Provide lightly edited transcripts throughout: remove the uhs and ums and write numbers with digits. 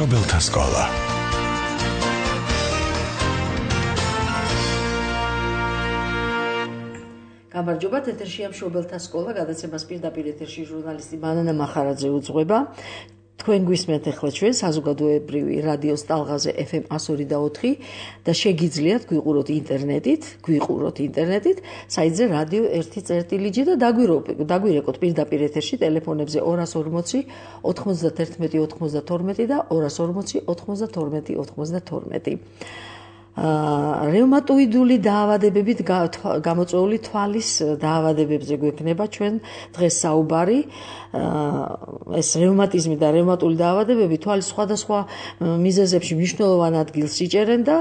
მშობელთა სკოლა. გამარჯობათ, ეთერშია მშობელთა სკოლა, გადაცემას პირდაპირ ეთერში ჟურნალისტი მანანა მახარაძე უძღვება. თქვენ გვისმენთ ახლა ჩვენ საზოგადოებრივი რადიოს ტალღაზე FM 102.4 და შეგიძლიათ გვიყუროთ ინტერნეტით, საიტზე რადიო 1.წერტილიჯი და დაგვირეკოთ პირდაპირ ეთერში ტელეფონებზე 240 91 92 და 240 92 92. რევმატოიდული დაავადებებით გამოწვეული თვალის დაავადებებზე გვექნება ჩვენ დღეს საუბარი. ეს რევმატიზმი და რევმატული დაავადებები თვალის სხვადასხვა მიზეზებში მნიშვნელოვან ადგილს იჭერენ და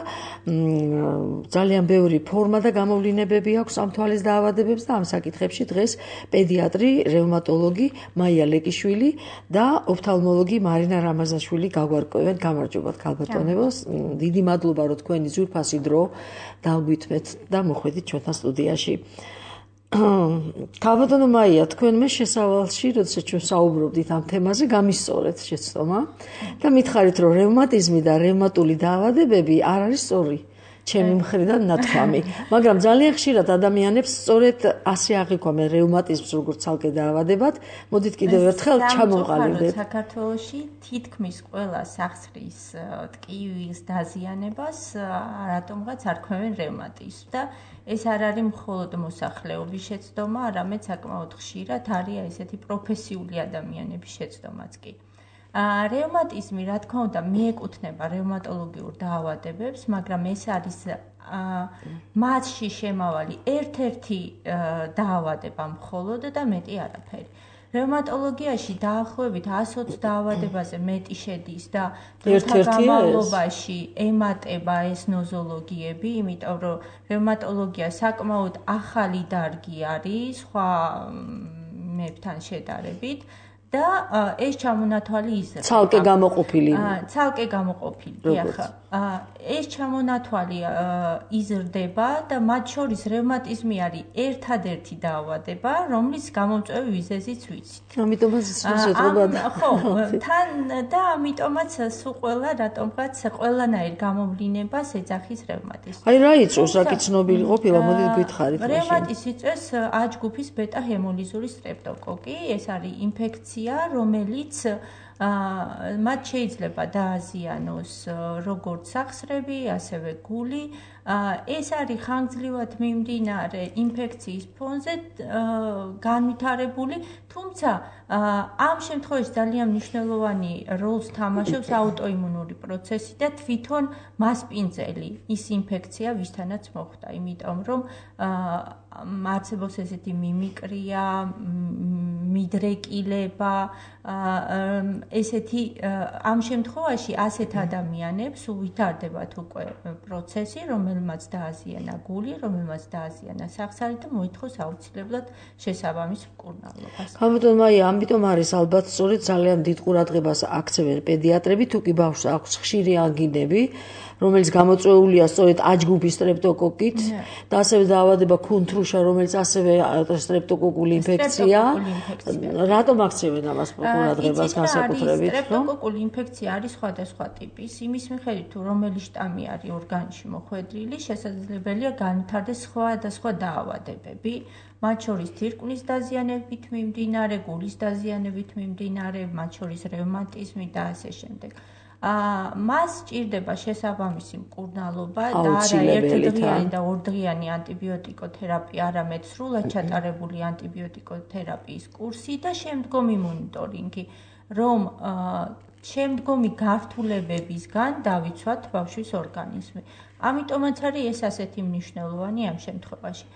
ძალიან ბევრი ფორმა და გამოვლინებები აქვს ამ თვალის დაავადებებს და ამ საკითხებში დღეს პედიატრი, რევმატოლოგი მაია ლეკიშვილი და ოფთალმოლოგი მარინა რამაზაშვილი გაგვარკვევენ. გამარჯობათ ქალბატონებო, დიდი მადლობა რომ თქვენი ფასი დრო დავგვითმეთ და მოხვედით ჩვენთან სტუდიაში. ქალბატონო მაია, თქვენ მე შესავალში, როდესაც ჩვენ საუბრობდით ამ თემაზე, გამისწორეთ შეცდომა და მითხარით, რომ რევმატიზმი და რევმატული დაავადებები არ არის სწორი. ჩემი მხრიდან ნათქვამი, მაგრამ ძალიან ხშირად ადამიანებს სწორედ ასე აღიქვამენ რევმატიზმს როგორც ცალკე დაავადებად. მოდით კიდევ ერთხელ ჩამოვყალიბდეთ. საქართველოში თითქმის ყველა სახსრის ტკივილის დაზიანებას რატომღაც არ ქვევენ რევმატიზმს და ეს არ არის მხოლოდ მოსახლეობის შეცდომა, არამედ საკმაოდ ხშირად არის ესეთი პროფესიული ადამიანების შეცდომაც კი. რევმატიზმი, რა თქმა უნდა, მიეკუთვნება რევმატოლოგიურ დაავადებებს, მაგრამ ეს არის მასში შემავალი ერთ-ერთი დაავადება მხოლოდ და მეტი არაფერი. რევმატოლოგიაში დაახლოებით 120 დაავადებაზე მეტი შედის და დროთა განმავლობაში ემატება ეს ნოზოლოგიები, იმიტომ რომ რევმატოლოგია საკმაოდ ახალი დარგი არის სხვა მებთან შედარებით. და ეს ჩამონათვალი იზრდება. ცალკე გამოყოფილი. დიახ. ეს ჩამონათვალი იზრდება და მათ შორის რევმატიზმი არის ერთადერთი დაავადება, რომლის გამომწვევი მიზეზიც ვიცით. ამიტომაც შეძლებოდა. ხო, თან და ამიტომაც სულ ყველა რატომღაც ყველანაირ გამოვლინებას ეძახის რევმატიზმი. აი რა იწვევს, რაკი ცნობილი ყოფილა, მოდით გითხარით. რევმატიზმი იწვევს A ჯგუფის ბეტა ჰემოლიზური სტრეპტოკოკი, ეს არის ინფექცია, რომელიც მათ შეიძლება დააზიანოს როგორც სახსრები, ასევე გული. ეს არის ხანგრძლივად მიმდინარე ინფექციის ფონზე განვითარებული, თუმცა ამ შემთხვევაში ძალიან მნიშვნელოვანი როლს თამაშობს აუტოიმუნური პროცესი და თვითონ მასპინძელი ის ინფექცია, ვისთანაც მოხვდა, იმიტომ რომ არსებობს ესეთი მიმიკრია, მიდრეკილება, ესეთი ამ შემთხვევაში ასეთ ადამიანებს ვითარდებათ უკვე პროცესი, რომელმაც დააზიანა გული, რომელმაც დააზიანა სახსარი და მოითხოვს აუცილებლად შესაბამის მკურნალობას. ქალბატონო მაია, ამიტომ არის ალბათ სწორედ ძალიან დიდ ყურადღებას აქცევენ პედიატრები, თუ კი ბავშვს აქვს ხშირი ანგინები, რომელიც გამოწვეულია სწორედ A ჯგუფის სტრეპტოკოკით და ასევე დაავადება ქუნთრუშა, რომელიც ასევე სტრეპტოკოკული ინფექცია. რატომ აქცევენ ამას ყურადღებას განსაკუთრებით? სტრეპტოკოკული ინფექცია არის სხვადასხვა ტიპის, იმის მიხედვით თუ რომელი შტამი არის ორგანიზმში მოხვედრილი, შესაძლებელია განვითარდეს სხვადასხვა დაავადებები. მათ შორის თირკმლის დაზიანებით მიმდინარე, გულის დაზიანებით მიმდინარე, მათ შორის რევმატიზმი და ასე შემდეგ. მას სჭირდება შესაბამისი მკურნალობა და არა ერთდღიანი და ორდღიანი ანტიბიოტიკოთერაპია, არამედ სრულად ჩატარებული ანტიბიოტიკოთერაპიის კურსი და შემდგომი მონიტორინგი, რომ შემდგომი გართულებებისგან დავიცვათ ბავშვის ორგანიზმი. ამიტომაც არის ეს ასეთი მნიშვნელოვანი ამ შემთხვევაში.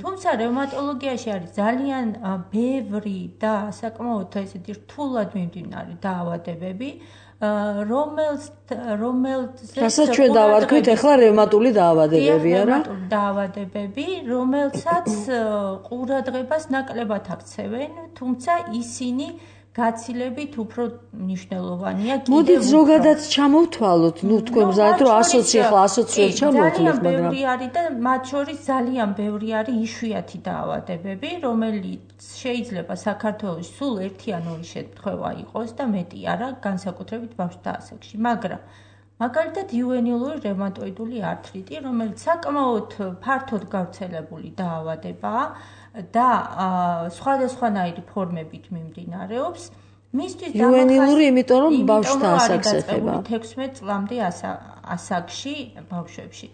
თუმცა რევმატოლოგიაში არის ძალიან ბევრი და საკმაოდ ესეთი რთულად მიმდინარე დაავადებები, რასაც ჩვენ დავარქვით ახლა რევმატული დაავადებები, არა? რევმატული დაავადებები, რომელსაც ყურადღებას ნაკლებად აქცევენ, თუმცა ისინი გაცილებით უფრო მნიშვნელოვანია. მოდით ზოგადად ჩამოვთვალოთ, თქვენ მზად რომ ასოციაციად ჩამოვთვალოთ, მაგრამ ბევრი არის და მათ შორის ძალიან ბევრი არის იშვიათი დაავადებები, რომელიც შეიძლება საქართველოს სულ ერთი ან ორი შემთხვევა იყოს და მეტი არა, განსაკუთრებით ბავშვთა ასაკში, მაგრამ მაგალითად იუვენილური რევმატოიდული ართრიტი, რომელიც საკმაოდ ფართოდ გავრცელებული დაავადებაა და სხვადასხვანაირი ფორმებით მიმდინარეობს. მისთვის იუვენილური, იმიტომ რომ ბავშვთა ასაკს ეხება. 16 წლამდე ასაკში ბავშვებში.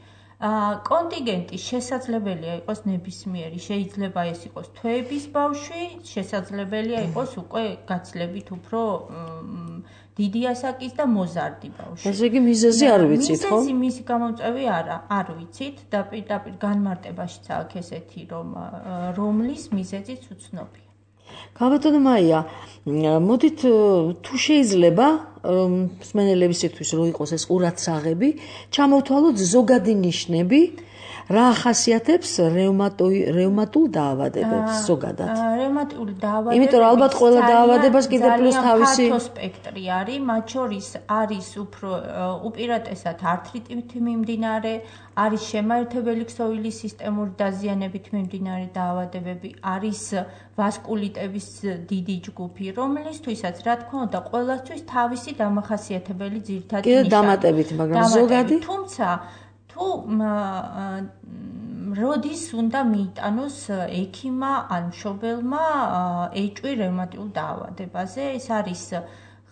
კონტინგენტი შესაძლებელია იყოს ნებისმიერი, შეიძლება ეს იყოს თვეების ბავშვი, შესაძლებელია იყოს უკვე გაცილებით უფრო დიდი ასაკის და მოზარდი ბავშვი. ესე იგი მიზეზი არ ვიცით, ხო? მისი გამომწვევი არ ვიცით და პირდაპირ განმარტებაშიც აქვს ესეთი რომლის მიზეზიც უცნობია. გამბატონო მაია, მოდით თუ შეიძლება მსმენელებისთვის რომ იყოს ეს ყურადსაღები, ჩამოვთვალოთ ზოგადი ნიშნები, რა ახასიათებს რევმატულ დაავადებებს ზოგადად. რევმატული დაავადებები, იმიტომ რომ ალბათ ყველა დაავადებას კიდე პლუს თავისი ფართო სპექტრი არის, მათ შორის არის უფრო უპირატესად ართრიტით მიმდინარე, არის შემაერთებელი ქსოვილის სისტემური დაზიანებით მიმდინარე დაავადებები, არის ვასკულიტების დიდი ჯგუფი, რომლისთვისაც რა თქმა უნდა ყველასთვის თავისი დამახასიათებელი ძირითადი ნიშანი. კიდე დამატებით, მაგრამ ზოგადი, თუმცა თუ როდის უნდა მიიტანოს ექიმმა ან მშობელმა ეჭვი რევმატიულ დაავადებაზე, ეს არის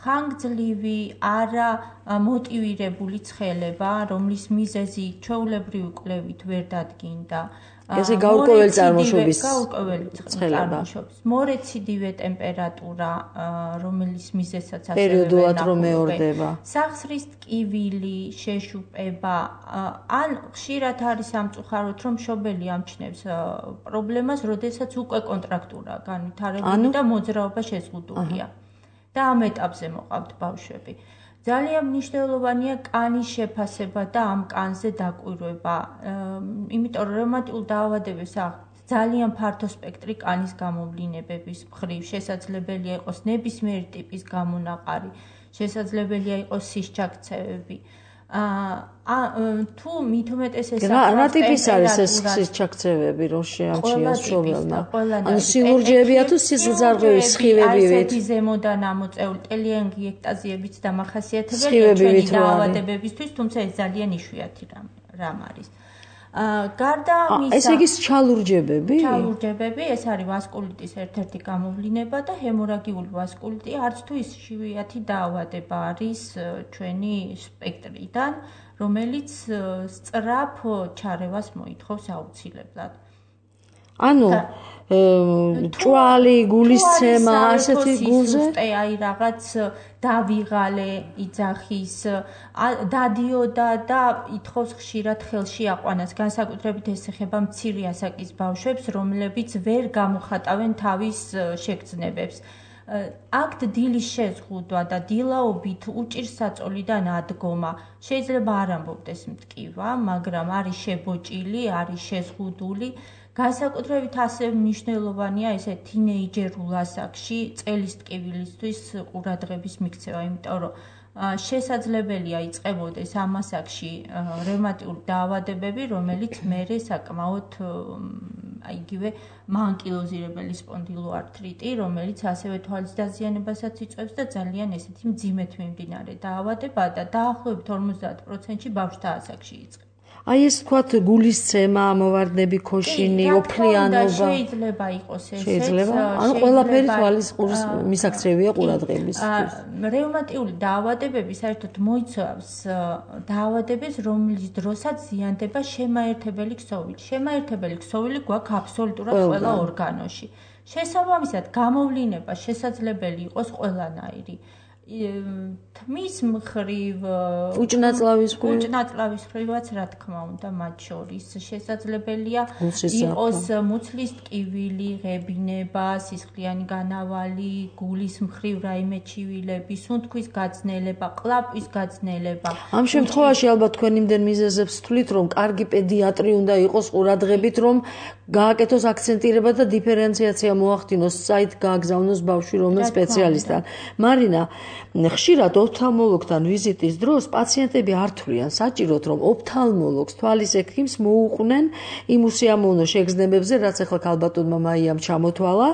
ხანგრძლივი, არა მოტივირებული ცხელება, რომლის მიზეზი ჩვეულებრივი კვლევით ვერ დადგინდა. ესე გაურკვეველი წარმოშობის ცხელება. მორეციდივე ტემპერატურა, რომელიც მიზეზსაც ასევე პერიოდულად რომ მეორდება. სახსრის ტკივილი, შეშუპება, ან ხშირად არის სამწუხაროდ, რომ მშობელი ამჩნევს პრობლემას, როდესაც უკვე კონტრაქტურაა განვითარებული და მოძრაობა შეზღუდულია. და ამ ეტაპზე მოყავთ ბავშვები. ძალიან მნიშვნელოვანია კანის შეფასება და ამ კანზე დაკვირვება. იმიტომ რომ რევმატიულ დაავადებებს აქვს ძალიან ფართო სპექტრი კანის გამოვლინებების მხრივ, შესაძლებელია იყოს ნებისმიერი ტიპის გამონაყარი, შესაძლებელია იყოს სისჩაქცევები. თუ მით უმეტეს ეს რა ტიპის არის ეს სისჩაქცევები, რომ შეამჩნიოს მშობელმა? ანუ სილურჯეებია თუ სისხლძარღვების სხივებივით? ასეთი ზემოდან ამოწეული ტელეანგიექტაზიებიც დამახასიათებელია ჩვენი დაავადებებისთვის, თუმცა ეს ძალიან იშვიათი რამ არის. გარდა მისა, ესე იგი ჩალურჯებები? ჩალურჯებები, ეს არის ვასკულიტის ერთ-ერთი გამოვლინება და ჰემორაგიული ვასკულიტი, არც თუ ის იშვიათი დაავადება არის ჩვენი სპექტრიდან, რომელიც სწრაფ ჩარევას მოითხოვს აუცილებლად. ანუ ჭვალი, გულისცემა, ასეთი გულზე? აი რაღაც დავიღალე, იძახის, დადიოდა და ითხოვს ხშირად ხელში აყვანას. განსაკუთრებით ეს ეხება მცირე ასაკის ბავშვებს, რომლებიც ვერ გამოხატავენ თავის შეგრძნებებს. აქვთ დილის შეზღუდვა და დილაობით უჭირს საწოლიდან ადგომა. შეიძლება არ ამბობდეს მტკივა, მაგრამ არის შებოჭილი, არის შეზღუდული. განსაკუთრებით ასევე მნიშვნელოვანია ესე თინეიჯერულ ასაკში წელის ტკივილისთვის ყურადღების მიქცევა, იმიტომ რომ შესაძლებელია იწყებოდეს ამ ასაკში რევმატიული დაავადებები, რომელიც მერე საკმაოდ იგივე მაანკილოზირებელი სპონდილოართრიტი, რომელიც ასევე თვალის დაზიანებასაც იწვევს და ძალიან ესეთი მძიმედ მიმდინარე დაავადებაა და დაახლოებით 50%-ში ბავშვთა ასაკში იწყება. აი ეს თქვათ გულისცემა, მოვარდნები, ქოშინი, ოფლიანობა. შეიძლება იყოს ესეც. შეიძლება. ანუ ყველაფერი თვალის ყურის მისაქცევია ყურადღებისთვის. რევმატიული დაავადებები საერთოდ მოიცავს დაავადებას, რომლის დროსაც ზიანდება შემაერთებელი ქსოვილი. შემაერთებელი ქსოვილი გვაქვს აბსოლუტურად ყველა ორგანოში. შესაბამისად, გამოვლინება შესაძლებელი იყოს ყველანაირი. თმის მხრივ უჭნაწლავის მხრივაც რა თქმა უნდა მათ შორის შესაძლებელია იყოს მუცლის ტკივილი, ღებინება, სისხლიანი განავალი, გულის მხრივ რაიმე ჩივილები, სუნთქვის გაძნელება, ყლაპვის გაძნელება. ამ შემთხვევაში ალბათ თქვენ იმდენ მიზეზებს თვლით, რომ კარგი პედიატრი უნდა იყოს ყურადღებით, რომ გააკეთოს აქცენტირება და დიფერენციაცია მოახდინოს, საით გააგზავნოს ბავშვი რომელ სპეციალისტთან. მარინა, ხშირად ოფთალმოლოგთან ვიზიტის დროს პაციენტები არ თვლიან საჭიროდ, რომ ოფთალმოლოგს, თვალის ექიმს მოუყვნენ იმ უსიამოვნო შეგრძნებებზე, რაც ახლა ქალბატონმა მაიამ ჩამოთვალა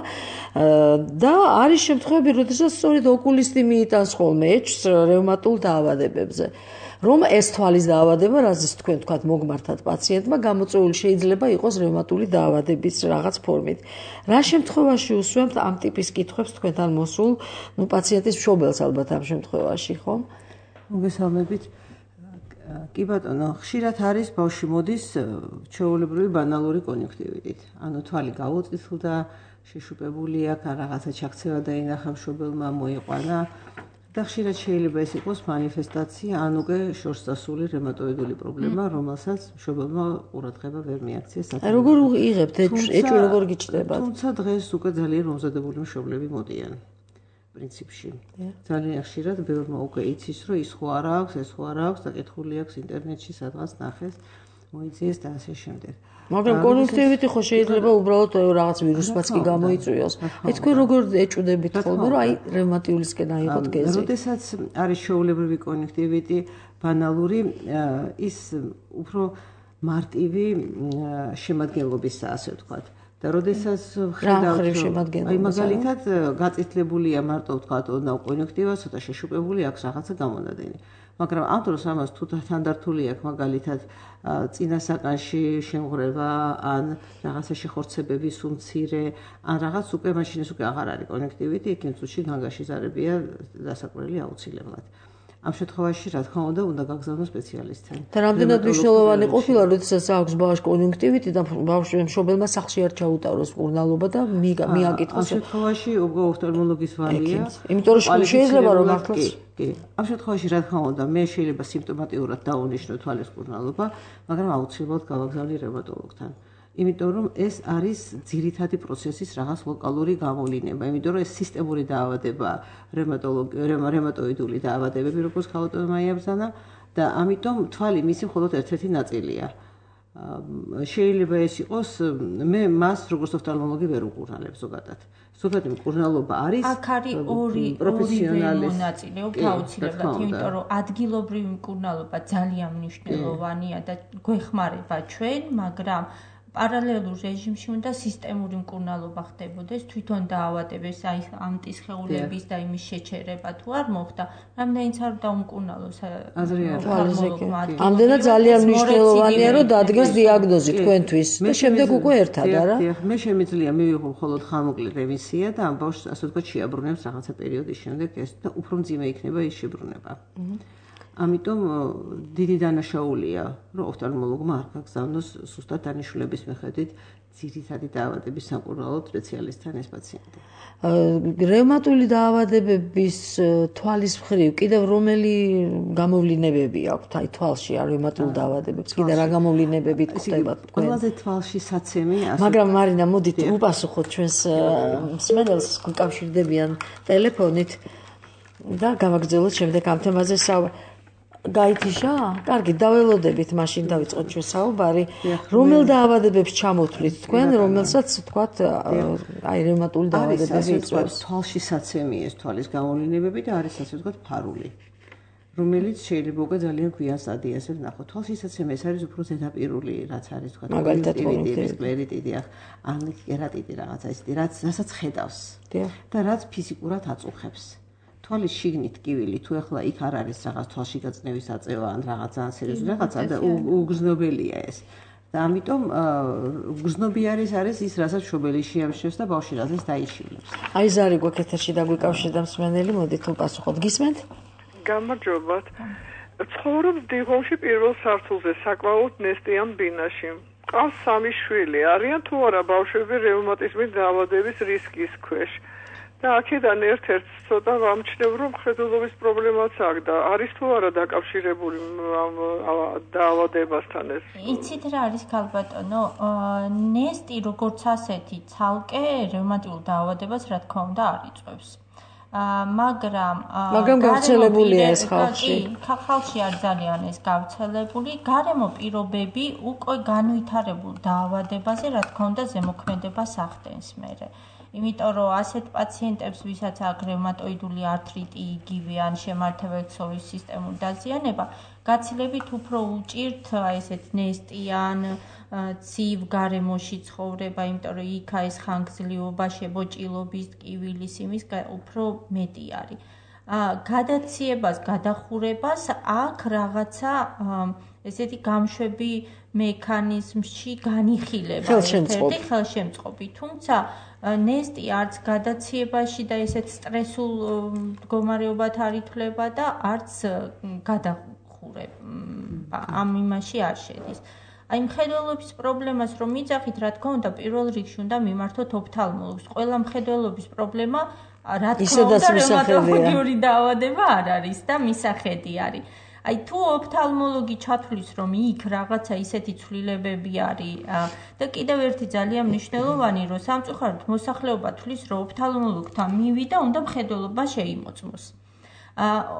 და არის შემთხვევები, როდესაც სწორედ ოკულისტი მიიტანს ხოლმე ეჭვს რევმატულ დაავადებებზე. რომ ეს თვალის დაავადება, რაზეც თქვენ თქვათ მოგმართათ პაციენტმა, გამოწვეული შეიძლება იყოს რევმატული დაავადების რაღაც ფორმით. რა შემთხვევაში უსვამთ ამ ტიპის კითხვებს თქვენთან მოსულ, პაციენტის მშობელს ალბათ ამ შემთხვევაში, ხო? მოგესალმებით. კი ბატონო, ხშირად არის ბავშვი მოდის ჩვეულებრივი ბანალური კონjunktივიტით. ანუ თვალი გაუწითლდა, შეშუპებული აქვს, რაღაცა ჩაქცევა დაინახა მშობელმა, მოიყვანა. და ხშირად შეიძლება ეს იყოს მანიფესტაცია, ანუ კი შორს დასული რევმატოიდული პრობლემა, რომელსაც მშობელმა ყურადღება ვერ მიაქცია. როგორ იღებთ ეჭვი როგორ გიჩნდება? თუმცა დღეს უკვე ძალიან მომზადებული მშობლები მოდიან. პრინციპში. ძალიან ხშირად ბევრმა უკვე იცის, რომ ის ხო არ აქვს, ეს ხო არ აქვს, დაკითხული აქვს ინტერნეტში, სადღაც ნახეს, მოიძიეს და ასე შემდეგ. მაგრამ კონjunktივიტი ხო შეიძლება უბრალოდ რაღაც ვირუსმაც კი გამოიწვიოს. აი თქვენ როგორ ეჭვდებით ხოლმე, რომ აი რევმატიულისკენ აიღოთ გეზი? როდესაც არის ჩვეულებრივი კონjunktივიტი ბანალური, ის უფრო მარტივი შემადგენლობისაა, ასე ვთქვათ. და როდესაც ხედავთ, აი მაგალითად გაწითლებულია მარტო ვთქვათ ოდნავ კონjunktივა, ცოტა შეშუპებული აქვს რაღაცა გამონადენი. მაგრამ ამ დროს ამას თუ თანდართული აქვს მაგალითად წინასაკანში შემღრევა ან რაღაცა შეხორცებების უმცირე ან რაღაც უკვე მაშინ ეს უკვე აღარ არის კონjunktივიტი, იქ წუთში განგაშიზარებია დასაკვირველი აუცილებლად. ამ შემთხვევაში რა თქმა უნდა გაგზავნოს სპეციალისტთან. და რამდენად მნიშვნელოვანი ყოფილა, როდესაც აქვს ბავშვს კონjunktივიტი და ბავშვს მშობელმა სახლში არ ჩაუტაროს მკურნალობა და მიაკითხოს. ამ შემთხვევაში უკვე ოფთალმოლოგის ვალია. იმიტომ რომ შეიძლება რომ მართლაც ამ შემთხვევაში რა თქმა უნდა მე შეიძლება სიმპტომატიურად დავუნიშნო თვალის მკურნალობა, მაგრამ აუცილებლად გავაგზავნი რევმატოლოგთან. იმიტომ რომ ეს არის ძირითადი პროცესის რაღაც ლოკალური გამოვლინება, იმიტომ რომ ეს სისტემური დაავადება, რევმატოიდული დაავადებები, როგორც ქალბატონმა იაბრძანა და ამიტომ თვალი მისი მხოლოდ ერთ-ერთი ნაწილია. შეიძლება ეს იყოს, მე მას როგორც ოფთალმოლოგი ვერ უყურნალებ ზოგადად. ზოგადი მკურნალობა არის აქ არის ორი მონაწილეობა აუცილებლად, იმიტომ რომ ადგილობრივი მკურნალობა ძალიან მნიშვნელოვანია და გვეხმარება ჩვენ, მაგრამ პარალელურ რეჟიმში უნდა სისტემური მკურნალობა ხდებოდეს, თვითონ დაავადების, აი ამტის ხეულების და იმის შეჩერება თუ არ მოხდა, რამდენიც არ დაუმკურნალოს. ამდენად ძალიან მნიშვნელოვანია, რომ დადგეს დიაგნოზი თქვენთვის და შემდეგ უკვე ერთად, არა? მე შემიძლია მივიღო მხოლოდ ხანმოკლე რემისია და ამ ბავშვს ასე ვთქვათ შეაბრუნებს რაღაცა პერიოდის შემდეგ ეს და უფრო მძიმე იქნება ის შებრუნება. ამიტომ დიდი დანაშაულია, რომ ოფთალმოლოგმა არ გაგზავნოს სუსტად დანიშნულების მიხედვით ძირითადი დაავადების სამკურნალო სპეციალისტთან ეს პაციენტი. რევმატული დაავადებების თვალის მხრივ კიდევ რომელი გამოვლინებები აქვთ აი თვალში რევმატულ დაავადებებს? კიდე რა გამოვლინებებით ხდება თქვენ? ყველაზე თვალში საცემი ასე. მაგრამ მარინა მოდით უპასუხოთ ჩვენს მსმენელს, გუკავშირდებიან ტელეფონით და გავაგრძელოთ შემდეგ ამ თემაზე საუბარი. გაითიშა? კარგი, დაველოდებით, მაშინ დავიწყოთ ჩვენ საუბარი. რომელ დაავადებებს ჩამოთვლით თქვენ, რომელსაც თქვათ აი რევმატული დაავადებები იწვევს? თვალში საცემი ეს თვალის გამოვლინებები და არის ასე ვთქვათ ფარული, რომელიც შეიძლება უკვე ძალიან გვიან სტადიაზე ვნახოთ. თვალში საცემი ეს არის უფრო ზედაპირული, რაც არის ვთქვათ სკლერიტიდი, ან კერატიტი რაღაცა ისეთი, რასაც ხედავს და რაც ფიზიკურად აწუხებს. თვალის შიგნით ტკივილი თუ ახლა იქ არ არის რაღაც თვალში გაწნევის აწევა ან რაღაცა ან სერიოზული რაღაცა და უგრძნობელია ეს. და ამიტომ გრძნობი არის ის რასაც მშობელი შეამჩნევს და ბავშვი რაზეც დაიშილებს. აი ზარი გვაქვს ეთერში დაგვიკავშირდა მსმენელი, მოდით უპასუხოთ. გისმენთ? გამარჯობათ. ცხოვრობ დიღომში პირველ სართულზე, საკმაოდ ნესტიან ბინაში. ყავს 3 შვილი. არიან თუ არა ბავშვები რევმატიზმის დაავადების რისკის ქვეშ? და აქედან ერთ-ერთ ცოტა ვამჩნევ, რომ მხედველობის პრობლემაც აქვს და არის თუ არა დაკავშირებული დაავადებასთან ეს. იცით რა არის ქალბატონო, ნესტი როგორც ასეთი ცალკე რევმატიულ დაავადებას რა თქმა უნდა არ იწვევს. მაგრამ გავრცელებულია ეს ხალხში. ხალხში არ ძალიან ეს გავრცელებული, გარემო პირობები უკვე განვითარებულ დაავადებაზე რა თქმა უნდა ზემოქმედებას ახდენს მერე. იმიტომ რომ ასეთ პაციენტებს, ვისაც აქვს რევმატოიდული ართრიტი, იგივე ან შემართებელ-ქსოვის სისტემური დაზიანება, გაცილებით უფრო უჭირთ ესეთ ნესტიან, ცივ გარემოში ცხოვრება, იმიტომ რომ იქ ეს ხანგრძლივობა, შებოჭილობის, ტკივილის იმის უფრო მეტი არის. გადაციებას, გადახურებას აქ რაღაცა ესეთი გამშვები მექანიზმში განიხილება ერთ-ერთი ხელშემწყობი. თუმცა ნესტი არც გადაციებაში და ესეთ სტრესულ მდგომარეობად არ ითვლება და არც გადახურება ამ იმაში არ შედის. აი მხედველობის პრობლემას რომ მიძახით, რა თქმა უნდა, პირველ რიგში უნდა მიმართოთ ოფთალმოლოგს. ყველა მხედველობის პრობლემა რა თქმა უნდა რევმატოლოგიური დაავადება არ არის და მისახედი არის. აი თუ ოფთალმოლოგი ჩათვლის რომ იქ რაღაცა ისეთი ცვლილებები არის და კიდევ ერთი ძალიან მნიშვნელოვანი რომ სამწუხაროდ მოსახლეობა თვლის რომ ოფთალმოლოგთან მივიდა უნდა მხედველობა შეიმოწმოს.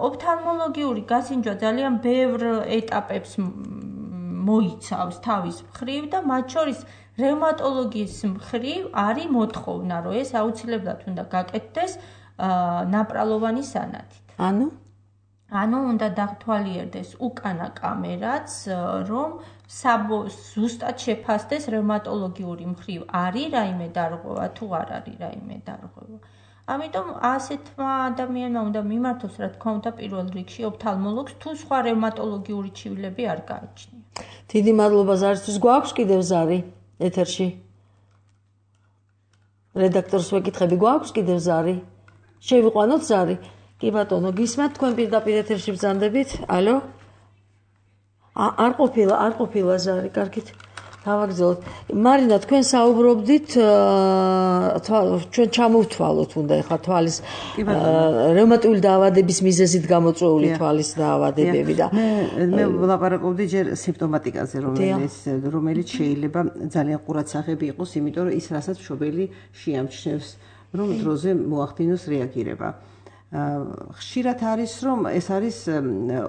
ოფთალმოლოგიური გასინჯვა ძალიან ბევრ ეტაპებს მოიცავს თავის მხრივ და მათ შორის რევმატოლოგიის მხრივ არის მოთხოვნა რომ ეს აუცილებლად უნდა გაკეთდეს ნაპრალოვანი სანათით. ანუ უნდა დათვალიერდეს უკანა კამერაც, რომ ზუსტად შეფასდეს რევმატოლოგიური მხრივ არის რაიმე დარღვევა თუ არ არის რაიმე დარღვევა. ამიტომ ასეთმა ადამიანმა უნდა მიმართოს რა თქმა უნდა პირველ რიგში ოფთალმოლოგს თუ სხვა რევმატოლოგიური ჩივილები არ გააჩნია. დიდი მადლობა ზარისთვის. გვაქვს კიდევ ზარი ეთერში? რედაქტორს ვეკითხები, გვაქვს კიდევ ზარი? შევიყვანოთ ზარი? კი ბატონო, გისმენთ თქვენ პირდაპირ ეთერში ბრძანდებით? ალო? არ ყოფილა ზარი, კარგით. დავაგრძელოთ. მარინა, თქვენ საუბრობდით, ჩვენ ჩამოვთვალოთ უნდა ეხლა თვალის რევმატიული დაავადების მიზეზით გამოწვეული თვალის დაავადებები და მე ვლაპარაკობდი ჯერ სიმპტომატიკაზე, რომელიც შეიძლება ძალიან ყურადსახები იყოს, იმიტომ რომ ის რასაც მშობელი შეამჩნევს, რომ დროზე მოახდინოს რეაგირება. ხშირად არის რომ ეს არის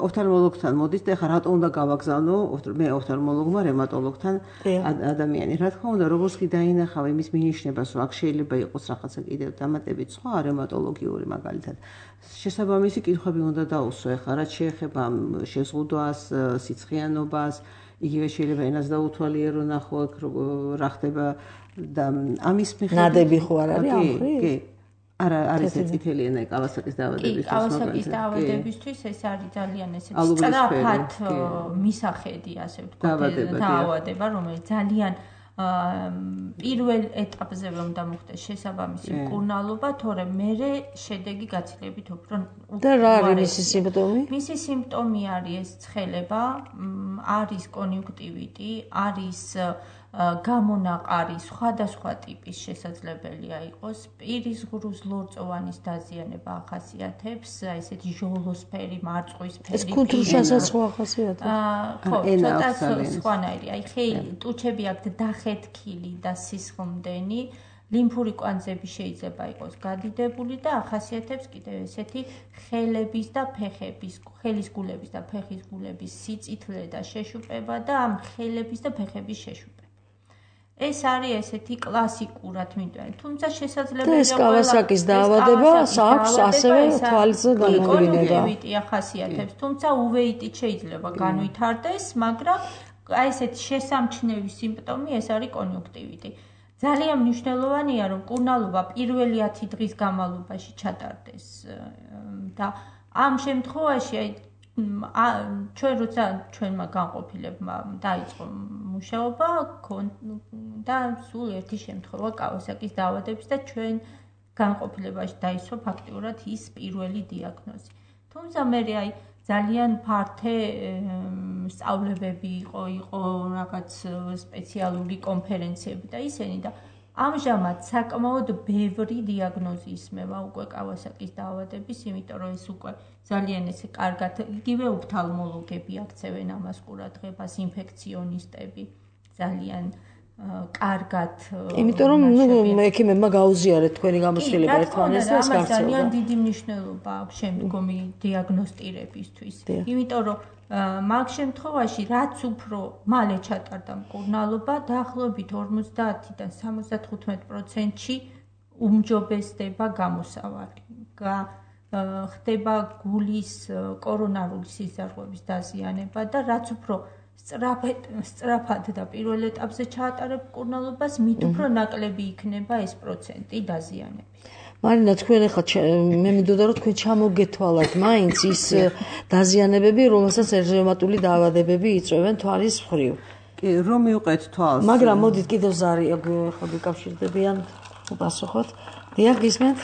ოფთალმოლოგთან მოდის და ეხლა რატო უნდა გავაგზავნო მე ოფთალმოლოგმა რევმატოლოგთან ადამიანი. რა თქმა უნდა, როგორც კი დაინახავ იმის მინიშნებას, რომ აქ შეიძლება იყოს რაღაცა კიდევ დამატებით სხვა რევმატოლოგიური მაგალითად. შესაბამისი კითხვები უნდა დაუსვო ეხლა რაც შეეხება შეზღუდვას, სიცხიანობას, იგივე შეიძლება ენას დაუთვალიერო ნახო აქ რა ხდება და ამის მიხედვით ნადები ხო არ არის ამ ხრი? არის წითელი ენა კავასაკის დაავადებისთვის. კავასაკის დაავადებისთვის ეს არის ძალიან ესეთი სწრაფად მისახედი, ასე ვთქვათ, დაავადება, რომელიც ძალიან პირველ ეტაპზე უნდა მოხდეს შესაბამისი მკურნალობა, თორემ მერე შედეგი გაცილებით უფრო და რა არის მისი სიმპტომი? მისი სიმპტომი არის ეს ცხელება, არის კონიუნქტივიტი, არის გამონაყარი სხვადასხვა ტიპის შესაძლებელია იყოს, პირის ღრუს ლორწოვანის დაზიანება ახასიათებს, ესეთი ჟოლოსფერი, მარწყვისფერი. ეს კუნთრუშასაც სხვა ახასიათებს? ხო, ცოტა სხვანაირი. აი ხელი, ტუჩები აქვთ დახეთქილი და სისხლმდენი, ლიმფური კვანძები შეიძლება იყოს გადიდებული და ახასიათებს კიდევ ესეთი ხელების და ფეხების, ხელის გულების და ფეხის გულების სიწითლე და შეშუპება და ამ ხელების და ფეხების შეშუპება. ეს არის ესეთი კლასიკურად მიტოვებული. თუმცა შესაძლებელია ეს კავასაკის დაავადება აქვს ასევე თვალის განმავლობა. ახასიათებს, თუმცა უვეიტით შეიძლება განვითარდეს, მაგრამ აი ესეთი შესამჩნევი სიმპტომი ეს არის კონიუნქტივიტი. ძალიან მნიშვნელოვანია რომ მკურნალობა პირველი 10 დღის განმავლობაში ჩატარდეს და ამ შემთხვევაში აი ჩვენ როცა ჩვენმა განყოფილებმა დაიწყო მუშაობა და სულ ერთი შემთხვევა კავასაკის დაავადების და ჩვენ განყოფილებაში დაისვა ფაქტიურად ის პირველი დიაგნოზი. თუმცა მე აი ძალიან ფართე სწავლებები იყო რაღაც სპეციალური კონფერენციები და ისენი და ამჟამად საკმაოდ ბევრი დიაგნოზი ისმევა უკვე კავასაკის დაავადების, იმიტომ რომ ეს უკვე ძალიან ესე კარგად იგივე უფთალმოლოგები აქცევენ ამას ყურადღებას, ინფექციონისტები ძალიან კარგად. იმიტომ რომ ექიმებმა გაუზიარეთ თქვენი გამოცდილება ერთმანეთს და ეს გავრცელდა. ძალიან დიდი მნიშვნელობა აქვს შემდგომი დიაგნოსტირებისთვის. იმიტომ რომ მაგ შემთხვევაში რაც უფრო მალე ჩატარდა მკურნალობა, დაახლოებით 50-დან 75%-ში უმჯობესდება გამოსავალი. ხდება გულის კორონარული სიზარღვების დაზიანება და რაც უფრო სწრაფად და პირველ ეტაპზე ჩაატარებ მკურნალობას, მით უფრო ნაკლები იქნება ეს პროცენტი დაზიანების. მარინა, თქვენ ახლა მე მინდოდა რომ თქვენ ჩამოგეთვალათ მაინც ის დაზიანებები, რომელსაც რევმატული დაავადებები იწვევენ თვალის მხრივ. კი, რომ მივყეთ თვალს. მაგრამ მოდით კიდევ ზარი ახლა გიკავშირდებიან უპასუხოთ. დიახ, გისმენთ?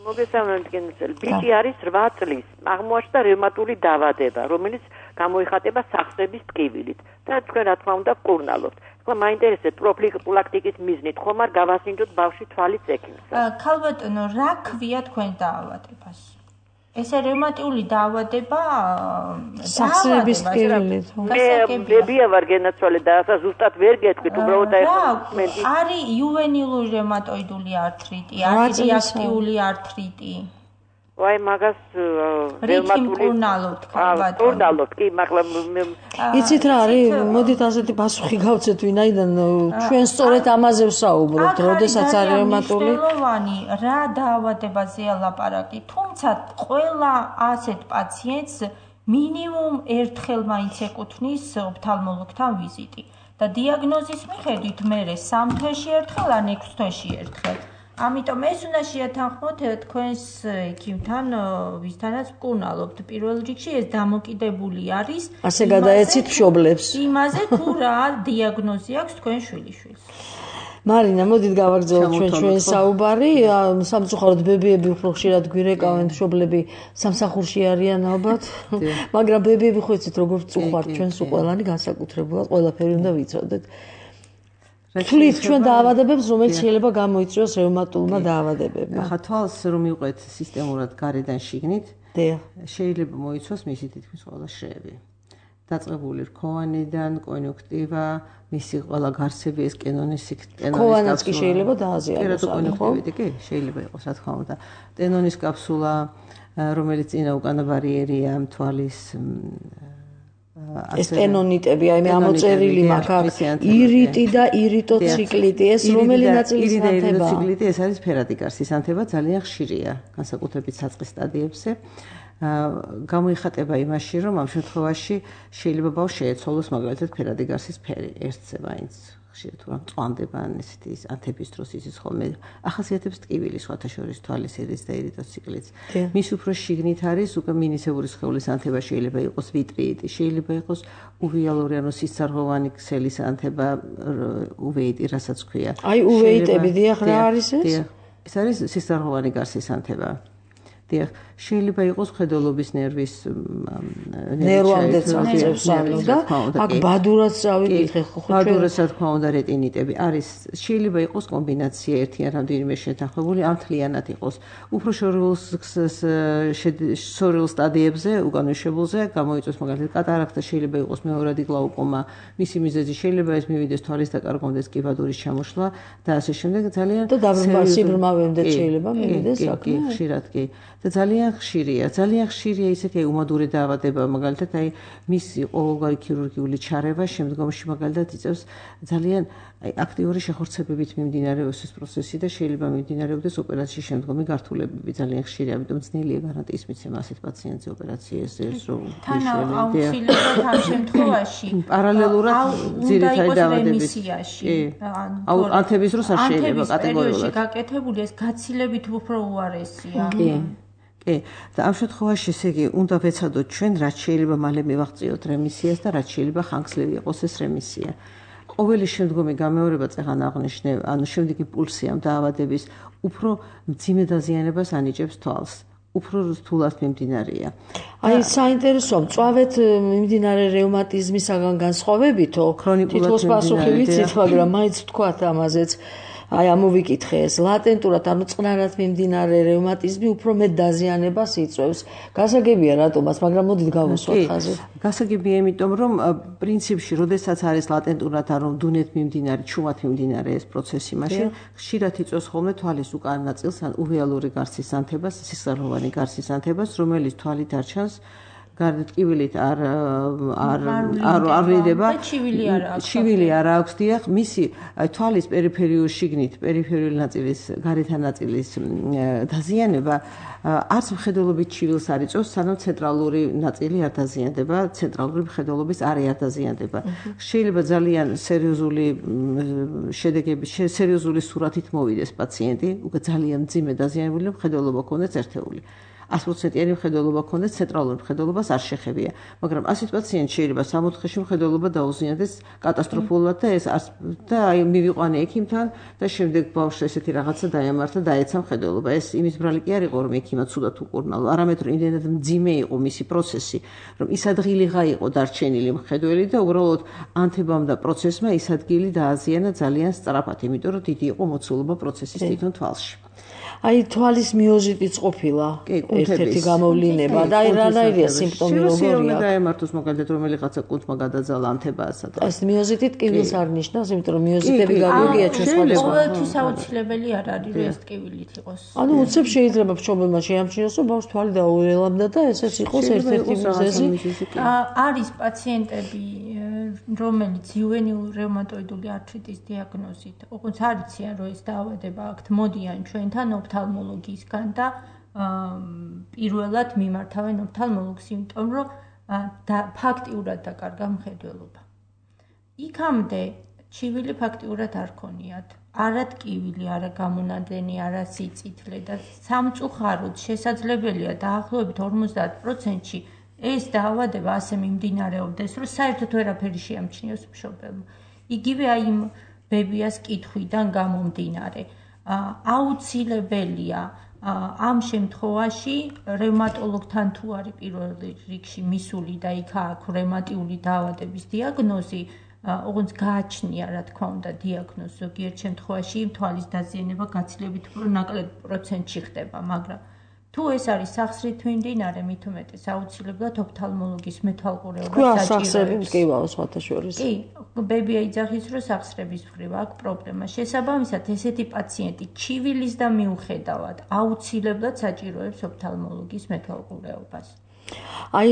მოგესალმებით, გენაცელი. ბიჭი არის 8 წლის. აღმოაჩნდა რევმატული დაავადება, რომელიც გამოიხატება სახსრების ტკივილით და თქვენ რა თქმა უნდა მკურნალობთ. ახლა მაინტერესებს პროფილაქტიკის მიზნით ხომ არ გავასინჯოთ ბავშვი თვალის ექიმს? ქალბატონო, რა ქვია თქვენ დაავადებას? ესე რევმატული დაავადება სახსრების ტკივილით. ბებია ვარ გენაცვალე და ახლა ზუსტად ვერ გეტყვით, უბრალოდ არის იუვენილური რევმატოიდული ართრიტი, არის რეაქტიული ართრიტი. ვაი მაგას რევმატული კურნალობ, კი, მაგრამ იცით რა არის? მოდით ასეთი პასუხი გავცეთ, ვინაიდან ჩვენ სწორედ ამაზე ვსაუბრობთ, როდესაც არის რევმატული. რა დაავადებაზეა ლაპარაკი, თუმცა ყველა ასეთ პაციენტს მინიმუმ ერთხელ მაინც ეკუთვნის ოფთალმოლოგთან ვიზიტი და დიაგნოზის მიხედვით მერე 3 თვეში ერთხელ ან 6 თვეში ერთხელ. ამიტომ ეს უნდა შეათანხმოთ თქვენს ექიმთან, ვისთანაც მკურნალობთ. პირველ რიგში ეს დამოკიდებული არის ასე გადაეცით მშობლებს. იმაზე თუ რა დიაგნოზი აქვს თქვენ შვილიშვილს. მარინა, მოდით გავაგრძელოთ ჩვენ საუბარი. სამწუხაროდ ბებიები უფრო ხშირად გვირეკავენ, მშობლები სამსახურში არიან ალბათ. მაგრამ ბებიები ხო იცით როგორ წუხართ ჩვენს ყველანი განსაკუთრებულად, ყველაფერი უნდა ვიცოდეთ. თვლით ჩვენ დაავადებებს, რომელიც შეიძლება გამოიწვიოს რევმატულმა დაავადებებმა. ახლა თვალს რომ მივყვეთ სისტემურად გარედან შიგნით, შეიძლება მოიცვას მისი თითქმის ყველა შრეები. დაწყებული რქოვანიდან, კონიუნქტივა, მისი ყველა გარსები, ეს კენონის ქოვანაც კი შეიძლება დააზიანოს. კი, შეიძლება იყოს, რა თქმა უნდა. ტენონის კაფსულა, რომელიც წინა უკანა ბარიერია თვალის ეს ტენონიტები, აი მე ამოწერილი მაქვს, ირიტი და ირიტოციკლიტი, ეს რომელი ნაწილის ანთებაა? ირიტოციკლიტი ეს არის ფერადი გარსის ანთება, ძალიან ხშირია, განსაკუთრებით საწყის სტადიებზე. გამოიხატება იმაში, რომ ამ შემთხვევაში შეიძლება ბავშვს შეეცვალოს მაგალითად ფერადი გარსის ფერი, ერთზე მაინც ხშირად თუ რა მწვანდება ან ესეთი ანთების დროს იცის ხოლმე. ახასიათებს ტკივილი სხვათა შორის თვალის ირიც და ირიტოციკლიც. მის უფრო შიგნით არის უკვე მინისებური სხეულის ანთება, შეიძლება იყოს ვიტრიიტი, შეიძლება იყოს უვეალური ანუ სისწარღვოვანი ქსელის ანთება, უვეიტი, რასაც ქვია. აი უვეიტები, დიახ, რა არის ეს? ეს არის სისწარღვოვანი გარსის ანთება. დიახ, შეიძლება იყოს ხედელობის ნერვის ნერვამდე წაწევს ანუ და აქ ბადურაც წავიკითხე ხო ჩვენ ბადურაც რა თქმა უნდა რეტინიტები არის შეიძლება იყოს კომბინაცია ერთი ან რამდენიმე შეთანხმებული ან მთლიანად იყოს უფრო შორეულ სტადიებზე უკანვისებულზე გამოიწვევს მაგალითად კატარაქტა შეიძლება იყოს მეორადი გლაუკომა მისი მიზეზი შეიძლება ეს მივიდეს თვალის დაკარგომდეს კი ბადურის ჩამოშლა და ასე შემდეგ ძალიან და დაბრმავებამდე შეიძლება მივიდეს საქმე კი ხშირად კი და ძალიან ხშირია ისეთი უმადური დაავადება მაგალითად აი მისი ყოველგვარი ქირურგიული ჩარევა შემდგომში მაგალითად იწევს ძალიან აქტიური შეხორცებებით მიმდინარეობს ეს პროცესი და შეიძლება მიმდინარეობდეს ოპერაციის შემდგომი გართულებები ძალიან ხშირია ამიტომ ძნელია გარანტიის მიცემა ასეთ პაციენტზე ოპერაციაზე რომ აუცილებლად ამ შემთხვევაში პარალელურად ძირითადი დაავადების ანთების დროს არ შეიძლება კატეგორიულად გაკეთებული ეს გაცილებით უფრო უარესია კი და ამ შემთხვევაში ესე იგი უნდა ვეცადოთ ჩვენ რაც შეიძლება მალე მივაღწიოთ რემისიას და რაც შეიძლება ხანგრძლივი იყოს ეს რემისია. ყოველი შემდგომი გამეორება წეღან აღნიშნე, ანუ შემდეგი პულსი ამ დაავადების უფრო მძიმე დაზიანებას ანიჭებს თვალს. უფრო რთულად მიმდინარეა. აი საინტერესოა, მწვავედ მიმდინარე რევმატიზმისაგან განსხვავებითო, თითქოს პასუხი ვიცით, მაგრამ მაინც ვთქვათ ამაზეც. აი ამოვიკითხე ეს ლატენტურად, ანუ წყნარად მიმდინარე რევმატიზმი უფრო მეტ დაზიანებას იწვევს. გასაგებია რატომაც, მაგრამ მოდით გავუსვათ ხაზი. გასაგებია იმიტომ, რომ პრინციპში, როდესაც არის ლატენტურად, ანუ დუნეთ მიმდინარე, ჩუმად მიმდინარე ეს პროცესი, მაშინ ხშირად იწვევს ხოლმე თვალის უკან ნაწილს, ან ურეალური გარსის ანთებას, სისხლოვანი გარსის ანთებას, რომელიც თვალით არ ჩანს. გარდატკივილით არ ვიდება. ჩივილი არ აქვს, დიახ, მისი თვალის პერიფერიული ნაწილის, გარეთა ნაწილის დაზიანება არც მხედველობით ჩივილს არ იწვევს, სანამ ცენტრალური ნაწილი არ დაზიანდება, ცენტრალური მხედველობის არე არ დაზიანდება. შეიძლება ძალიან სერიოზული სურათით მოვიდეს პაციენტი, უკვე ძალიან მძიმე დაზიანებული, მხედველობა ქონდეს ერთეული. 100%-იანი მხედველობა ქონდეს, ცენტრალური მხედველობას არ შეხებია. მაგრამ ასეთ პაციენტს შეიძლება 3 დღეში მხედველობა დაუზიანდეს კატასტროფულად და ეს და აი მივიყვანე ექიმთან და შემდეგ ბავშვს ესეთი რაღაცა დაემართა და დაეცა მხედველობა. ეს იმის ბრალი კი არ იყო, რომ ექიმა ცუდად უკურნალო, არამედ რომ იმდენად მძიმე იყო მისი პროცესი, რომ ის ადგილიღა იყო დარჩენილი მხედველი და უბრალოდ ანთებამ და პროცესმა ის ადგილი დააზიანა ძალიან სწრაფად, იმიტომ რომ დიდი იყო მოცულობა პროცესის თვითონ თვალში. აი თვალის მიოზიტიც ყოფილა ერთ-ერთი გამოვლინება და აი რანაირია სიმპტომი როგორია? დაემართოს მაგალითად რომელიღაცა კუნთმა გადაძალა ანთებაასა და ეს მიოზიტით ტკივილს არ ნიშნავს, იმიტომ რომ მიოზიტები გაგვიგია ჩვენ სხვადასხვა. ყოველთვის აუცილებელი არ არის რომ ეს ტკივილით იყოს. ანუ უცებ შეიძლება მშობელმა შეამჩნიოს, რომ ბავშვს თვალი დაუელამდა და ესეც იყოს ერთ-ერთი მიზეზი. არის პაციენტები რომელიც იუვენილური რევმატოიდული ართრიტის დიაგნოზით, ოღონდ არ იციან რომ ეს დაავადება აქვთ, მოდიან ჩვენთან ოფთალმოლოგისგან და პირველად მიმართავენ ოფთალმოლოგს, იმიტომ რომ ფაქტიურად დაკარგა მხედველობა. იქამდე ჩივილი ფაქტიურად არ ქონიათ. არა ტკივილი, არა გამონადენი, არა სიწითლე და სამწუხაროდ შესაძლებელია დაახლოებით 50%-ში ეს დაავადება ასე მიმდინარეობდეს, რომ საერთოდ ვერაფერი შეამჩნიოს მშობელმა. იგივე აი იმ ბებიას კითხვიდან გამომდინარე. აუცილებელია ამ შემთხვევაში რევმატოლოგთან თუ არის პირველ რიგში მისული და იქ აქვს რევმატიული დაავადების დიაგნოზი, ოღონდ გააჩნია, რა თქმა უნდა, დიაგნოზი ზოგიერთ შემთხვევაში თვალის დაზიანება გაცილებით უფრო ნაკლებ პროცენტში ხდება, მაგრამ თუ ეს არის სახსრით მიმდინარე, მით უმეტეს აუცილებლად ოფთალმოლოგის მეთვალყურეობა საჭიროებს. კი, სხვათა შორის. კი, ბებია იძახის, რომ სახსრების მხრივ აქვს პრობლემა. შესაბამისად, ესეთი პაციენტი ჩივილის და მიუხედავად აუცილებლად საჭიროებს ოფთალმოლოგის მეთვალყურეობას. აი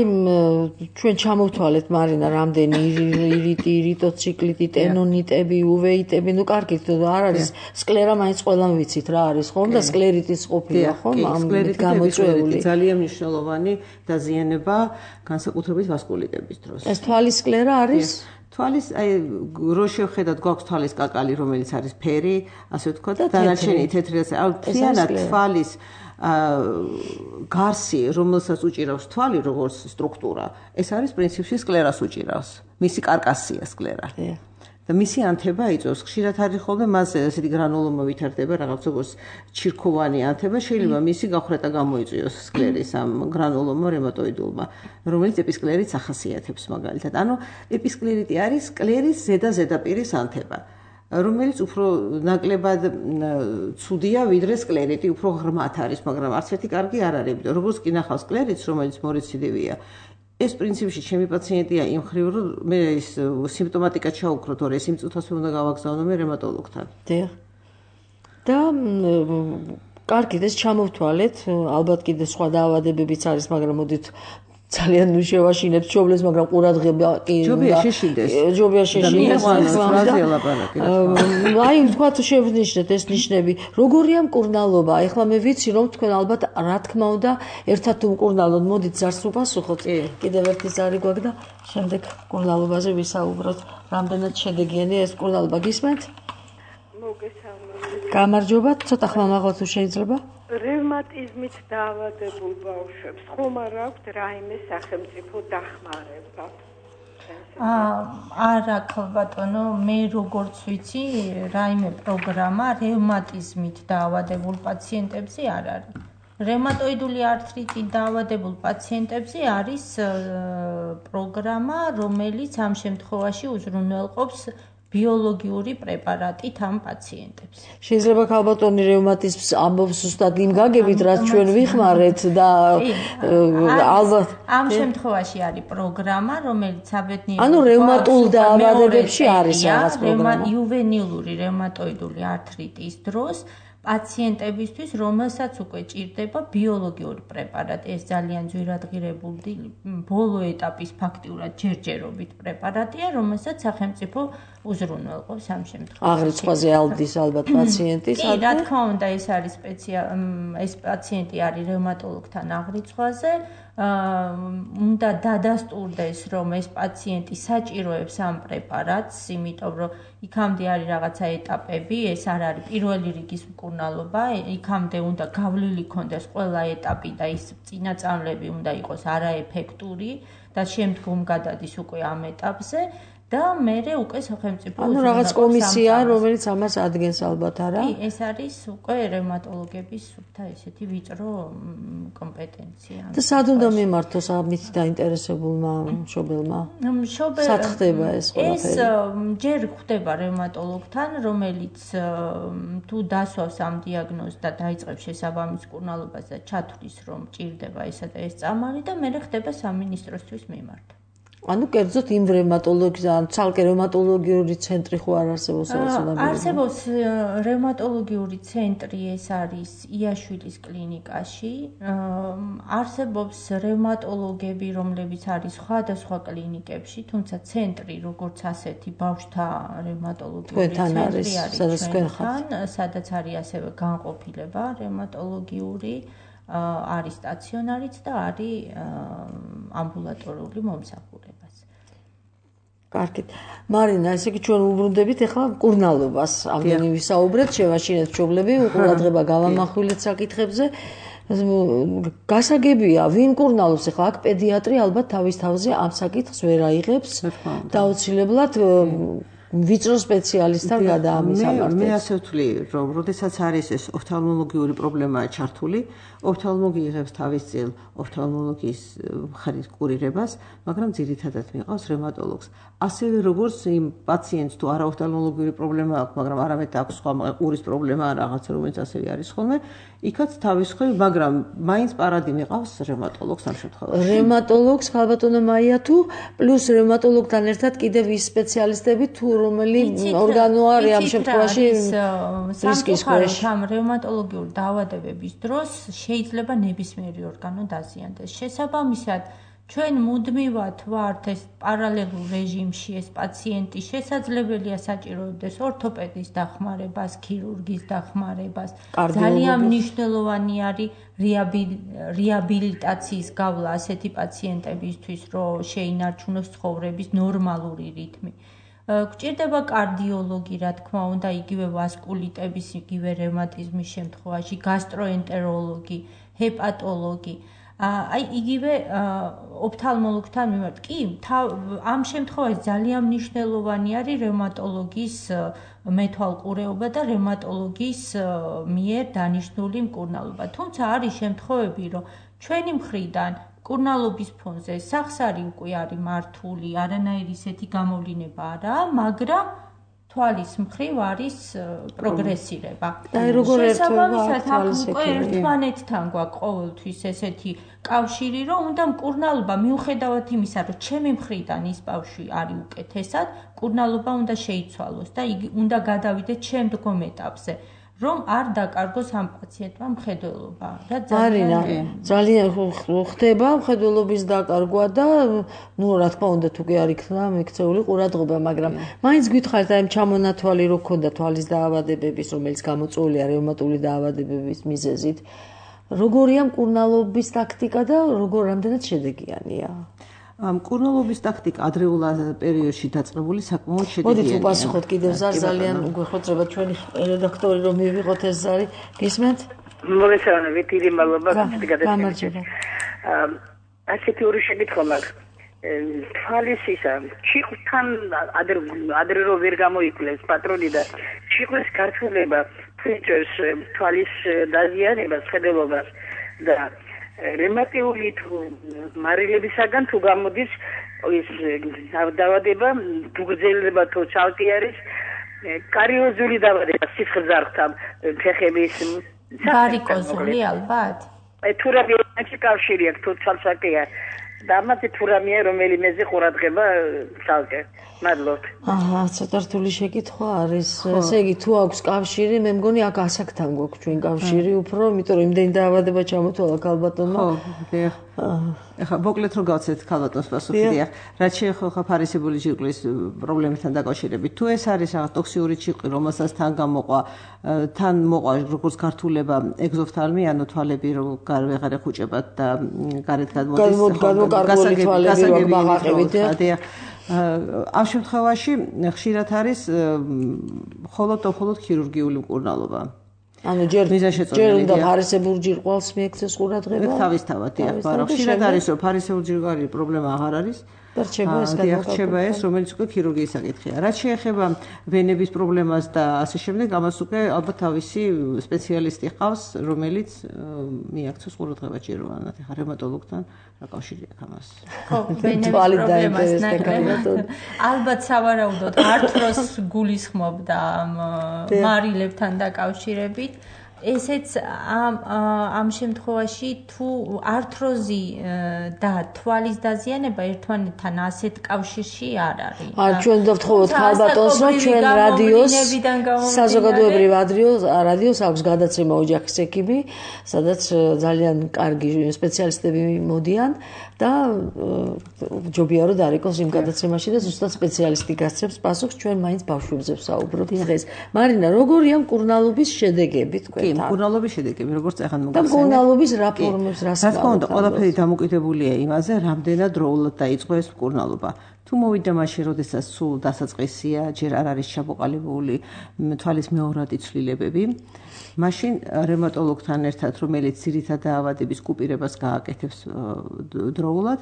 ჩვენ ჩამოვთვალეთ მარინა რამდენი ირიტი, ირიტოციკლიტი, ტენონიტები, უვეიტები, ნუ კარგით არ არის სკლერა, მაინც ყველამ ვიცით რა არის ხომ და სკლერიტის ყოფილა ხომ ამ გამოწვეული. ძალიან მნიშვნელოვანი დაზიანება განსაკუთრებით ვასკულიტების დროს. ეს თვალის სკლერა არის? თვალის აი რო შევხედათ გვაქვს თვალის კაკალი, რომელიც არის ფერი, ასე ვთქვათ, და დანარჩენი თეთრი, აი მთლიანად თვალის გარსი, რომელსაც უჭირავს თვალი, როგორც სტრუქტურა, ეს არის პრინციპში სკლერას უჭირავს. მისი კარკასია სკლერა. და მისი ანთება იწვევს. ხშირად არის ხოლმე მასზე ესეთი გრანულომა ვითარდება, რაღაც როგორც ჩირქოვანი ანთება, შეიძლება მისი გახრეტა გამოიწვიოს სკლერის ამ გრანულომა რევმატოიდულმა, რომელიც ეპისკლერიტს ახასიათებს მაგალითად. ანუ ეპისკლერიტი არის სკლერის ზედაპირის ანთება. რომელიც უფრო ნაკლებად ცუდია ვიდრე სკლერიტი, უფრო ღრმად არის, მაგრამ არც ერთი კარგი არ არის. როგორც კი ნახავს სკლერიტს, რომელიც მორეციდივია, ეს პრინციპში ჩემი პაციენტია იმ ხრივ, რომ მე ის სიმპტომატიკა ჩაუქროთ, ორ ეს იმ წუთას უნდა გავაგზავნო მე რევმატოლოგთან. დიახ. და კარგით ეს ჩამოვთვალეთ, ალბათ კიდე სხვა დაავადებებიც არის, მაგრამ მოდით ძალიან შევაშინებთ ჩობლეს, მაგრამ ყურადღება კი ჯობია შეშინდეს. ჯობია შეშინდეს. აი, თქვათ შევნიშნეთ ეს ნიშნები. როგორია მკურნალობა? ეხლა მე ვიცი, რომ თქვენ ალბათ რა თქმა უნდა ერთად უმკურნალოთ. მოდით ზარს უპასუხოთ. კიდევ ერთი ზარი გვაქვს და შემდეგ მკურნალობაზე ვისაუბროთ. რამდენად შედეგიანია ეს მკურნალობა, გისმენთ? მოგესალმებით. გამარჯობა, ცოტა ხმამაღლა თუ შეიძლება? რევმატიზმით დაავადებულ ბავშვებს ხომ არ აქვთ რაიმე სახელმწიფო დახმარება? არა, ბატონო, მე როგორც ვიცი, რაიმე პროგრამა რევმატიზმით დაავადებულ პაციენტებზე არ არის. რევმატოიდული ართრიტით დაავადებულ პაციენტებზე არის პროგრამა, რომელიც ამ შემთხვევაში უზრუნველყოფს ბიოლოგიური პრეპარატით ამ პაციენტებს. შეიძლება ქალბატონი რევმატიზმს ამბობს ზუსტად იმ გაგებით, რაც ჩვენ ვიხმარეთ და ალბათ ამ შემთხვევაში არის პროგრამა, რომელიც საბედნიერო ანუ რევმატულ დაავადებებში არის რაღაც პროგრამა. იუვენილური რევმატოიდული ართრიტის დროს პაციენტებისთვის, რომელსაც უკვე ჭირდება ბიოლოგიური პრეპარატი, ეს ძალიან ძვირადღირებული ბოლო ეტაპის ფაქტიურად ჯერჯერობით პრეპარატია, რომელსაც სახელმწიფო უზრუნველყოფს ამ შემთხვევაში. აღრიცხვაზე ალდის ალბათ პაციენტის. კი, რა თქმა უნდა, ეს არის ეს პაციენტი არის რევმატოლოგთან აღრიცხვაზე. უნდა დადასტურდეს, რომ ეს პაციენტი საჭიროებს ამ პრეპარატს, იმიტომ რომ იქამდე არის რაღაცა ეტაპები, ეს არ არის პირველი რიგის მკურნალობა, იქამდე უნდა გავლილი ქონდეს ყველა ეტაპი და ის წინაწამლები უნდა იყოს არაეფექტური და შემდგომ გადადის უკვე ამ ეტაპზე. და მერე უკვე სახელმწიფო ანუ რაღაც კომისია, რომელიც ამას ადგენს ალბათ არა? კი, ეს არის უკვე რევმატოლოგების სუფთა ესეთი ვიწრო კომპეტენცია. და სად უნდა მიმართოს ამით დაინტერესებულმა მშობელმა? სად ხდება ეს ყველაფერი? ეს ჯერ ხდება რევმატოლოგთან, რომელიც თუ დასვავს ამ დიაგნოზს და დაიწყებს შესაბამის მკურნალობას და ჩათვლის, რომ ჭირდება ესა და ეს წამალი და მერე ხდება სამინისტროსთვის მიმართვა. ანუ კერძოდ იმ რევმატოლოგის ან ცალკე რევმატოლოგიური ცენტრი ხო არ არსებობს არსებობს რევმატოლოგიური ცენტრი, ეს არის იაშვილის კლინიკაში. არსებობს რევმატოლოგები, რომლებიც არის სხვადასხვა კლინიკებში, თუმცა ცენტრი როგორც ასეთი ბავშვთა რევმატოლოგიური ცენტრი არის ჩვენთან, სადაც არის ასევე განყოფილება რევმატოლოგიური, არის სტაციონარიც და არის ამბულატორიული მომსახურებაც. კარგით. მარინა, ესე იგი ჩვენ უბრუნდებით ახლა მკურნალობას. ამდენი ვისაუბრეთ, შევაშინეთ მშობლები, ყურადღება გავამახვილეთ საკითხებზე. გასაგებია, ვინ მკურნალობს ახლა აქ პედიატრი ალბათ თავის თავზე ამ საკითხს ვერ აიღებს და აუცილებლად ვიწრო სპეციალისტთან გადაამისამართებს. მე ასე ვთვლი, რომ როდესაც არის ეს ოფთალმოლოგიური პრობლემაა ჩართული, ოფთალმოლოგი იღებს თავის წინ ოფთალმოლოგიის მხარის კურირებას, მაგრამ ძირითადად მიყავს რევმატოლოგს. ასევე როგორც იმ პაციენტს თუ არა ოფთალმოლოგიური პრობლემა აქვს, მაგრამ არამედ აქვს სხვა ყურის პრობლემა ან რაღაცა, რომელიც ასევე არის ხოლმე, იქაც თავის ხრი, მაგრამ მაინც პარადი მიყავს რევმატოლოგს ამ შემთხვევაში. რევმატოლოგს ხალბატონო მაია თუ პლუს რევმატოლოგთან ერთად კიდევ ის სპეციალისტები თუ რომელი ორგანო არის ამ შემთხვევაში რისკის ქვეშ. ამ რევმატოლოგიური დაავადებების დროს შეიძლება ნებისმიერი ორგანო დაზიანდეს. შესაბამისად, ჩვენ მუდმივად ვართ ეს პარალელურ რეჟიმში ეს პაციენტი შესაძლებელია საჭიროებდეს ორთოპედის დახმარებას, ქირურგის დახმარებას. ძალიან მნიშვნელოვანი არის რეაბილიტაციის გავლა ასეთი პაციენტებისთვის, რომ შეინარჩუნოს ცხოვრების ნორმალური რიტმი. გვჭირდება კარდიოლოგი, რა თქმა უნდა, იგივე ვასკულიტების, იგივე რევმატიზმის შემთხვევაში, გასტროენტეროლოგი, ჰეპატოლოგი. აი იგივე ოფთალმოლოგთან მიმართ. კი, ამ შემთხვევაში ძალიან მნიშვნელოვანი არის რევმატოლოგის მეთვალყურეობა და რევმატოლოგის მიერ დანიშნული მკურნალობა. თუმცა არის შემთხვევები, რომ ჩვენი მხრიდან მკურნალობის ფონზე სახსარი უკვე არის მართული, არანაირი ისეთი გამოვლინება არაა, მაგრამ თვალის მხრივ არის პროგრესირება. შესაბამისად, აქ უკვე ერთმანეთთან გვაქვს ყოველთვის ესეთი კავშირი, რომ უნდა მკურნალობა მიუხედავად იმისა, რომ ჩემი მხრიდან ის ბავშვი არის უკეთესად, მკურნალობა უნდა შეიცვალოს და იგი უნდა გადავიდეთ შემდგომ ეტაპზე. რომ არ დაკარგოს ამ პაციენტმა მხედველობა. მარინა, ძალიან ხდება მხედველობის დაკარგვა და ნუ რა თქმა უნდა თუ კი არ იქნა მიქცეული ყურადღება, მაგრამ მაინც გითხარით აი ჩამონათვალი რო ქონდა თვალის დაავადებების, რომელიც გამოწვეულია რევმატული დაავადებების მიზეზით. როგორია მკურნალობის ტაქტიკა და რამდენად შედეგიანია? მკურნალობის ტაქტიკა ადრეულ პერიოდში დაწყებული საკმაოდ შედეგიანია. მოდით უპასუხოთ კიდევ ძალიან უგვეხოთრება ჩვენი რედაქტორი რომ მივიღოთ ეს ზარი. გისმენთ? მოგესალმებით, დიდი მადლობა გამარჯობა. ასეთი ორი შეკითხვა მაქვს. თვალის ისა, ჩიხვთან ადრე რო ვერ გამოიკვლიეს პატრონი და ჩიხვის გართულება ფიჭერს თვალის დაზიანებას, ხედელობას და რევმატიული თუ მარილებისაგან თუ გამოდის ის დავადება გუგზელება თუ ცალკე არის კარიოზული დავადება სიცხრძართან ფეხების ვარიკოზული ალბათ თუ რამე კავშირი აქვს თუ ცალკეა და ამაზე თუ რამეა რომელიმეზე ყურადღება ცალკე მადლობთ ცოტა რთული შეკითხვა არის ესე იგი თუ აქვს კავშირი მე მგონი აქ ასაკთან გვაქვს ჩვენ კავშირი უფრო იმიტომ რომ იმდენი დაავადება ჩამოთვალა ქალბატონმა ეხლა მოკლედ რო გავცეთ ქალბატონს პასუხი დიახ რაც შეეხება ფარისებული ჯირკვლის პრობლემებთან დაკავშირებით თუ ეს არის რაღაც ტოქსიური ჯირკვალი რომელსაც თან მოყვა როგორც გართულება ეგზოფთალმი ანუ თვალები რო ვეღარ ეხუჭებათ და გარეთ გადმოკარგული თვალები მაგაყებით დიახ ამ შემთხვევაში ხშირად არის მხოლოდ ქირურგიული მკურნალობა ანუ ჯერ უნდა ფარისებურ ჯირკვალს მიექცეს ყურადღება თავისთავად დიახ მაგრამ ხშირად არის რომ ფარისებურ ჯირკვალი პრობლემა აღარ არის და რჩება ეს რომელიც უკვე ქირურგიის საკითხია რაც შეეხება ვენების პრობლემას და ასე შემდეგ ამას უკვე ალბათ თავისი სპეციალისტი ყავს რომელიც მიაქცეს ყურადღება ჯეროვანად ეხა რევმატოლოგთან რა კავშირი აქვს ამას ხო ვენების პრობლემას ნაკლებად ალბათ სავარაუდოდ ართროს გულისხმობდა მარილებთან დაკავშირებით ესეც ამ შემთხვევაში თუ ართროზი და თვალის დაზიანება ერთმანეთთან ასეთ კავშირში არ არის. ჩვენ დავთხოვოთ ქალბატონს რომ ჩვენ რადიოს საზოგადოებრივ რადიოს აქვს გადაცემა ოჯახის ექიმი, სადაც ძალიან კარგი სპეციალისტები მოდიან და ჯობია რომ დარეკოს იმ გადაცემაში და ზუსტად სპეციალისტი გასცემს პასუხს ჩვენ მაინც ბავშვებზე ვსაუბრობთ დღეს. მარინა, როგორია მკურნალობის შედეგები თქვენ? კი, მკურნალობის შედეგები, როგორც ახლა მოგახსენეთ. და მკურნალობის რა ფორმებს რას რა თქმა უნდა, ყველაფერი დამოკიდებულია იმაზე, რამდენად დროულად დაიწყო ეს მკურნალობა. თუ მოვიდა მაშინ, როდესაც სულ დასაწყისია, ჯერ არ არის ჩამოყალიბებული თვალის მეორადი ცვლილებები, მაშინ რევმატოლოგთან ერთად, რომელიც ძირითად დაავადების კუპირებას გააკეთებს დროულად,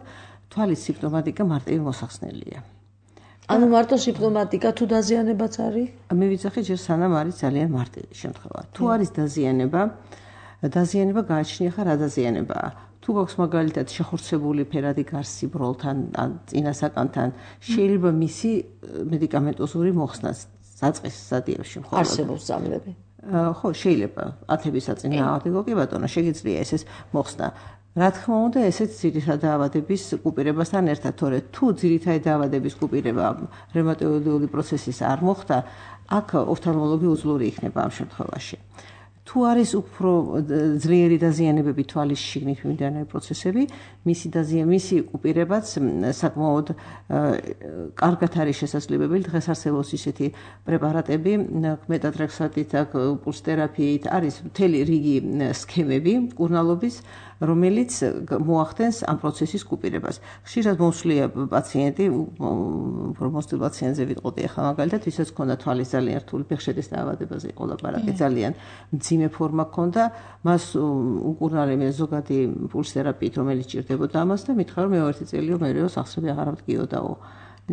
თვალის სიმპტომატიკა მარტივი მოსახსნელია. ანუ მარტო სიმპტომატიკა თუ დაზიანებაც არის? მე ვიცახი ჯერ სანამ არის ძალიან მარტივი შემთხვევა. თუ არის დაზიანება გააჩნია ხა რა დაზიანებაა? თუ გვაქვს მაგალითად შეხორცებული ფერადი გარსი ბროლთან ან წინასაკანთან, შეიძლება მისი მედიკამენტოზური მოხსნა საწყის სტადიაში მხოლოდ. არსებობს ძამლები. ხო, შეიძლება ათების საწინააღმდეგო კი ბატონო, შეგიძლია ეს მოხსნა. რა თქმა უნდა, ესეც ძირითადი დაავადების კუპირებასთან ერთად, თორე თუ ძირითადი დაავადების კუპირება რევმატოიდული პროცესის არ მოხდა, აქ ოფთალმოლოგი უძლური იქნება ამ შემთხვევაში. თუ არის უფრო ძლიერი დაზიანებები თვალის შიგნით მიმდინარე პროცესები, მისი კუპირებაც საკმაოდ კარგად არის შესაძლებელი. დღეს არსებობს ისეთი პრეპარატები, მეტატრექსატით, პულსთერაპიით, არის მთელი რიგი სქემები მკურნალობის, რომელიც მოახდენს ამ პროცესის კუპირებას. ხშირად მოსვლია პაციენტი, მოსვლილ პაციენტზე ვიტყოდი ახლა მაგალითად, ვისაც ჰქონდა თვალის ძალიან რთული ფეხშედის დაავადებაზე იყო ლაპარაკი, ძალიან მძიმე ფორმა ჰქონდა, მას უკურნალებია ზოგადი პულსთერაპიით, რომელიც ჭირდებოდა ამას და მითხრა რომ მე-1 წელიო მერეო სახსრები აღარ მდგიოდაო.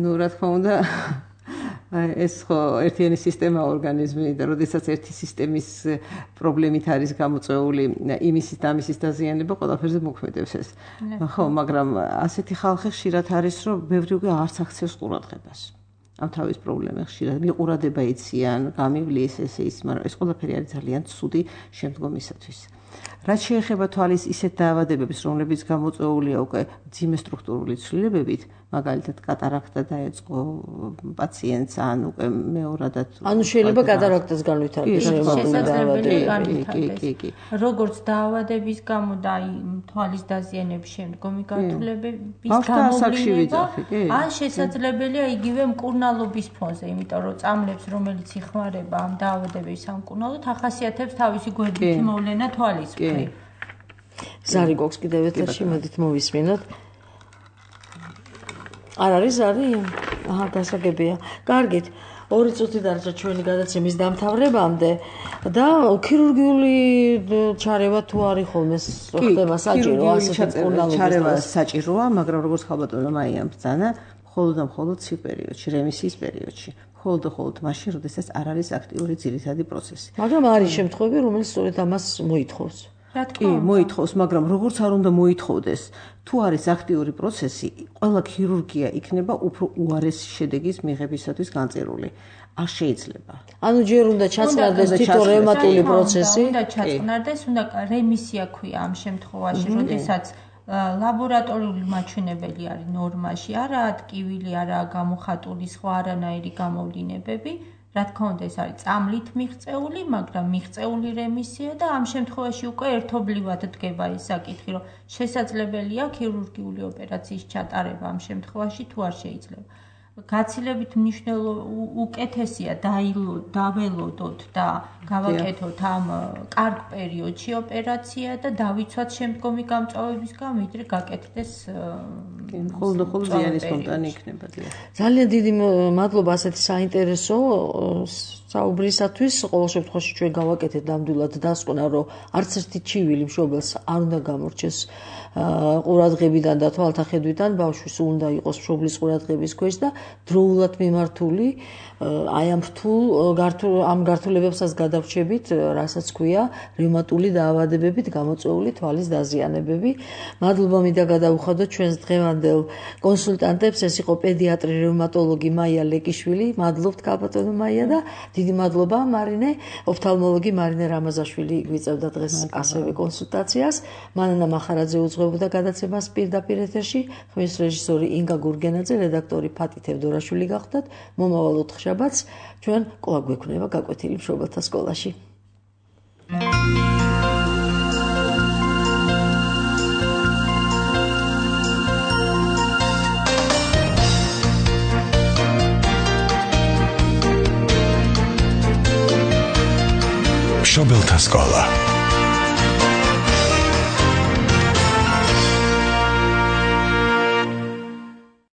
ნუ რა თქმა უნდა ეს ხო ერთიანი სისტემა ორგანიზმი და როდესაც ერთი სისტემის პრობლემით არის გამოწვეული იმისის და ამისის დაზიანება, ყველაფერზე მოქმედებს ეს. ხო, მაგრამ ასეთი ხალხი ხშირად არის, რომ ბევრი უკვე არც აქცევს ყურადღებას. ამ თავის პრობლემებს ხშირად მიყურადება იციან, გამივლის ის, მაგრამ ეს ყველაფერი არის ძალიან ცუდი შემდგომისათვის. რაც შეეხება თვალის ისეთ დაავადებებს, რომლებიც გამოწვეულია უკვე მძიმე სტრუქტურული ცვლილებებით, მაგალითად კატარაქტა დაეწყო პაციენტს ან უკვე მეორადად ანუ შეიძლება კატარაქტას განვითარდეს შესაძლებელი როგორც დაავადების გამო და თვალის დაზიანების შემდგომი გართულებების გამოვლინება ან შესაძლებელია იგივე მკურნალობის ფონზე, იმიტომ რომ წამლებს რომელიც იხმარება ამ დაავადების ამ მკურნალოდ ახასიათებს თავისი გვერდითი მოვლენა თვალის მხრივ. ზარი გვაქვს კიდევ ეთერში, მოდით მოვისმინოთ. არ არის? აჰა, დასაგებია. კარგით. 2 წუთი დარჩა ჩვენი გადაცემის დამთავრებამდე და ქირურგიული ჩარევა თუ არის ხოლმე ხდება საჭირო ასეთი მკურნალობის ჩარევა საჭიროა, მაგრამ როგორც ხალბატონო მაია ბრძანა, მხოლოდ ცივ პერიოდში, რემისიის პერიოდში. მხოლოდ მაშინ, როდესაც არ არის აქტიური ძირითადი პროცესი. მაგრამ არის შემთხვევები, რომელიც სწორედ ამას მოითხოვს. კი, მოითხოვს, მაგრამ როგორც არ უნდა მოითხოვდეს, თუ არის აქტიური პროცესი, ყველა ქირურგია იქნება უფრო უარესი შედეგის მიღებისათვის განწირული. არ შეიძლება. ანუ ჯერ უნდა ჩაწყნარდეს თვითონ რევმატული პროცესი. უნდა ჩაწყნარდეს, უნდა რემისია ქვია ამ შემთხვევაში, როდესაც ლაბორატორიული მაჩვენებელი არის ნორმაში, არაა ტკივილი, არაა გამოხატული სხვა არანაირი გამოვლინებები. რა თქმა უნდა, ეს არის წამლით მიღწეული, მაგრამ მიღწეული რემისია და ამ შემთხვევაში უკვე ერთობლივად დგება ეს საკითხი, რომ შესაძლებელია ქირურგიული ოპერაციის ჩატარება ამ შემთხვევაში თუ არ შეიძლება. გაცილებით უკეთესია დაველოდოთ და გავაკეთოთ ამ კარგ პერიოდში ოპერაცია და დავიცვათ შემდგომი გამწვავებისგან, ვიდრე გაკეთდეს ხოლმე ზიანი სპონტანი იქნება. ძალიან დიდი მადლობა ასეთი საინტერესო საუბრისათვის. ყოველ შემთხვევაში ჩვენ გავაკეთეთ ნამდვილად დასკვნა, რომ არც ერთი ჩივილი მშობელს არ უნდა გამორჩეს ყურადღებიდან და თვალთახედვიდან, ბავშვის უნდა იყოს მშობლის ყურადღების ქვეშ და დროულად მიმართული აი ამ ამ გართულებებსაც გადავრჩებით, რასაც ქვია რევმატული დაავადებებით გამოწვეული თვალის დაზიანებები. მადლობა მინდა გადავუხადოთ ჩვენს დღევანდელ კონსულტანტებს, ეს იყო პედიატრი რევმატოლოგი მაია ლეკიშვილი. მადლობთ ქალბატონო მაია და დიდი მადლობა მარინე, ოფთალმოლოგი მარინე რამაზაშვილი გვიწევდა დღეს ასევე კონსულტაციას. მანანა მახარაძე უძღვებოდა გადაცემას პირდაპირ ეთერში, ხმის რეჟისორი ინგა გურგენაძე, რედაქტორი ფატი თევდორაშვილი გახდათ. მომავალ ოთხშაბათს ჩვენ კვლავ გვექნება გაკვეთილი მშობელთა სკოლაში. მშობელთა სკოლა.